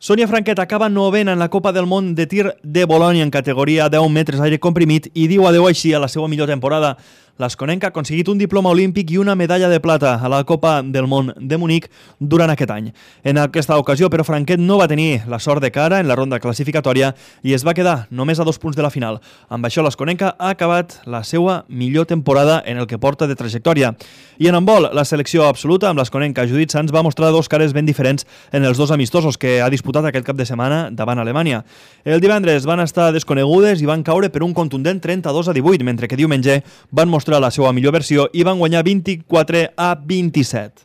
Sònia Franquet acaba novena en la Copa del Món de tir de Bolònia en categoria 10 metres aire comprimit i diu adeu així a la seva millor temporada. L'asconenca ha aconseguit un diploma olímpic i una medalla de plata a la Copa del Món de Munic durant aquest any. En aquesta ocasió, però, Franquet no va tenir la sort de cara en la ronda classificatòria i es va quedar només a 2 punts de la final. Amb això, l'asconenca ha acabat la seva millor temporada en el que porta de trajectòria. I en handbol, la selecció absoluta amb l'asconenca Judit Sanz va mostrar dos cares ben diferents en els dos amistosos que ha disputat aquest cap de setmana davant Alemanya. El divendres van estar desconegudes i van caure per un contundent 32-18, mentre que diumenge van mostrar la seva millor versió i van guanyar 24-27.